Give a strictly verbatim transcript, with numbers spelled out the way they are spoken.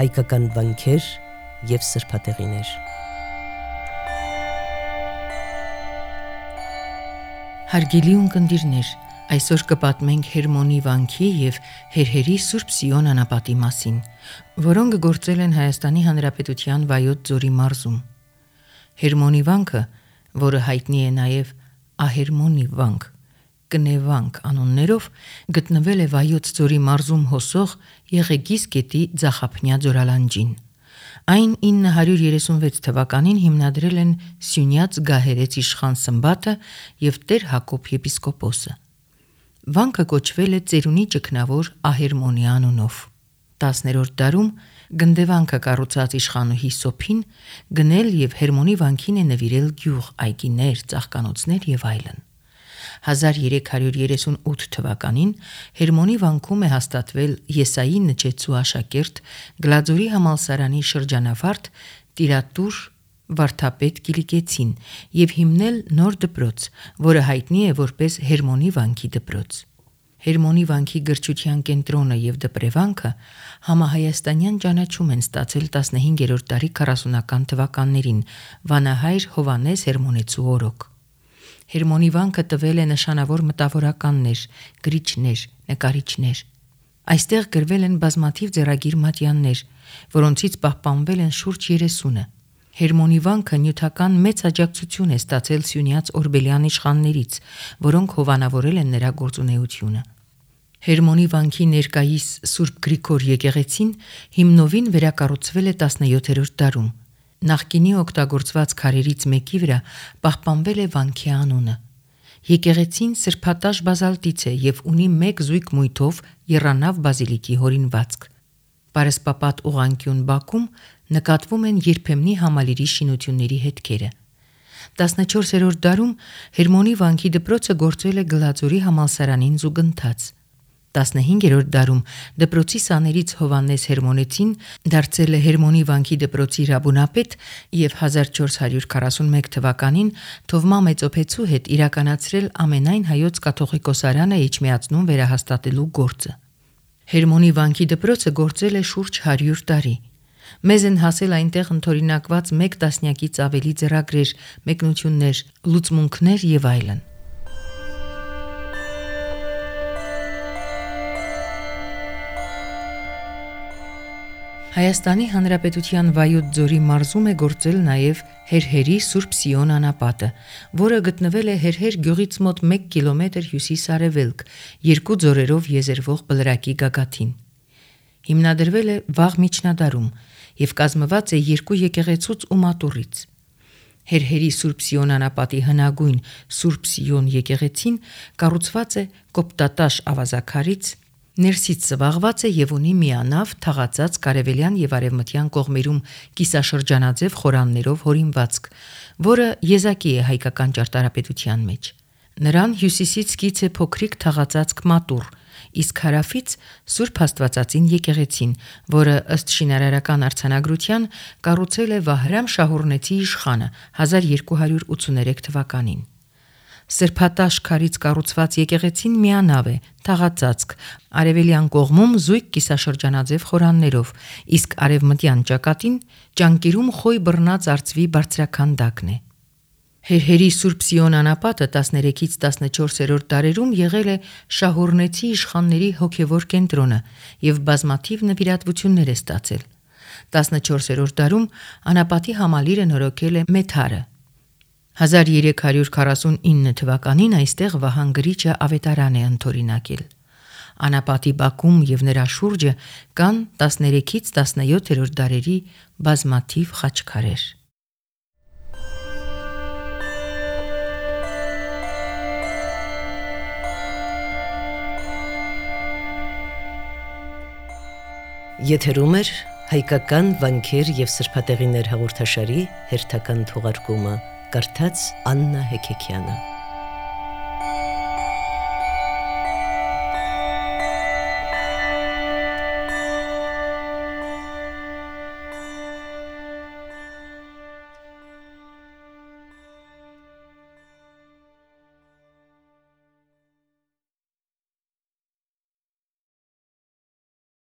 հայկական վանքեր և սրբատեղիներ։ Հարգելի ունկնդիրներ, այսօր կպատմենք Հերմոնի վանքի և Հերհերի Սուրբ Սիոն անապատի մասին, որոնք գործել են Հայաստանի Հանրապետության Վայոց ձորի մարզում։ Հերմոնի վանքը, որը հայտնի է նաև Ահերմոնի վանք, Կնեվանք անուններով, գտնվել է Վայոց ձորի մարզում հոսող Եղեգիս գետի ձախափնյա ձորալանջին։ Այն ինը հարյուր երեսունվեց թվականին հիմնադրել են Սյունյաց Գահերեց իշխան Սմբատը և Տեր Հակոբ եպիսկոպոսը։ Վանքը կոչվել է ծերունի ճգնավոր Ահերմոնի անունով։ տասներորդ դարում Գնդեվանքը կառուցած իշխանուհի Սոփին գնել և Հերմոնի վանքին է նվիրել գյուղ, այգիներ, ծաղկանոցներ և այլն։ հազար երեք հարյուր երեսունութ թվականին Հերմոնի վանքում է հաստատվել Եսայի Նչեցու աշակերտ Գլաձորի համալսարանի շրջանավարտ տիրատուր վարդապետ Կիլիկեցին և հիմնել նոր դպրոց, որը հայտնի է որպես Հերմոնի վանքի դպրոց։ Հերմոնի վանքի գրչության կենտրոնը և դպրևանքը համահայաստանյան ճանաչում են ստացել տասնհինգերորդ դարի քառասունական թվականներին վանահայր Հովհաննես Հերմոնեցու օրոք։ Հերմոնի վանքը տվել է նշանավոր մտավորականներ, գրիչներ, նկարիչներ։ Այստեղ գրվել են բազմաթիվ ձեռագիր մատյաններ, որոնցից պահպանվել են շուրջ երեսունը։ Հերմոնի վանքը նյութական մեծ աջակցություն է ստացել Սյունյաց օրբելյան իշխաններից, որոնք հովանավորել են նրա գործունեությունը։ Հերմոնի վանքի ներկայիս Սուրբ Գրիգոր եկեղեցին հիմնովին վերակառուցվել է տասնյոթերորդ դարում։ Նախկինի օգտագործված քարերից մեկի վրա պահպանվել է վանքի անունը։ Եկեղեցին սրբատաշ բազալտից է և ունի մեկ զույգ մույթով եռանավ բազիլիկի հորինվածք։ Պարսպապատ ուղղանկյուն բակում նկատվում են երբեմնի համալիրի շինությունների հետքերը։ տասնչորսերորդ դարում Հերմոնի վանքի դպրոցը գործել է Գլաձորի համալսարանին զուգընթաց։ տասնհինգերորդ դարում դպրոցի սաներից Հովհաննես Հերմոնեցին դարձել է Հերմոնի վանքի դպրոցի ռաբունապետ և հազար չորս հարյուր քառասունմեկ թվականին Թովմա Մեծոփեցու հետ իրականացրել ամենայն հայոց կաթողիկոսարանը էջմիածնում վերահաստատելու գործը։ Հերմոնի վանքի դպրոցը գործել է շուրջ հարյուր տարի։ Մեզ են հասել այնտեղ ընդօրինակված մեկ տասնյակից ավելի ձեռագրեր, մեկնություններ, լուծմունքներ և այլն։ Հայաստանի Հանրապետության Վայոց ձորի մարզում է գործել նաև Հերհերի Սուրբ Սիոն անապատը, որը գտնվել է Հերհեր գյուղից մոտ մեկ կիլոմետր հյուսիս-արևելք, երկու ձորերով եզերվող բլրակի գագաթին։ Հիմնադրվել է վաղ միջնադարում և կազմված է երկու եկեղեցուց ու մատուռից։ Հերհերի Սուրբ Սիոն անապատի հնագույն Սուրբ Սիոն եկեղեցին կառուցված է կոպտատաշ ավազաքարից, ներսից սվաղված է և ունի միանավ թաղածած կարևելյան և արևմտյան կողմերում կիսաշրջանաձև խորաններով հորինվածք, որը եզակի է հայկական ճարտարապետության մեջ։ Նրան հյուսիսից կից է փոքրիկ թաղածածկ մատուռ, իսկ հարավից Սուրբ Աստվածածին եկեղեցին, որը ըստ շինարարական արձանագրության կառուցել է Վահրամ Շահուռնեցի իշխանը հազար երկու հարյուր ութսուներեք թվականին։ Սրբատաշ քարից կառուցված եկեղեցին միանավ է, թաղածածկ, արևելյան կողմում զույգ կիսաշրջանաձև խորաններով, իսկ արևմտյան ճակատին ճանկերում խոյ բռնած արծվի բարձրաքանդակն է։ Հերհերի Սուրբ Սիոն անապատը տասներեքից տասնչորսերորդ դարերում եղել է շահուռնեցի իշխանների հոգևոր կենտրոնը և բազմաթիվ նվիրատվություններ է ստացել։ տասնչորսերորդ դարում անապատի համալիրը նորոգել է Մեթարը։ հազար երեք հարյուր քառասունինը թվականին այստեղ Վահան Գրիչը ավետարան է ընդօրինակել։ Անապատի բակում և նրա շուրջը կան տասներեքից տասնյոթերորդ դարերի բազմաթիվ խաչքարեր։ Եթերում է հայկական վանքեր և սրբատեղիներ հաղորդաշարի հերթական թողարկումը, կարդաց Աննա Հեքեքյանը։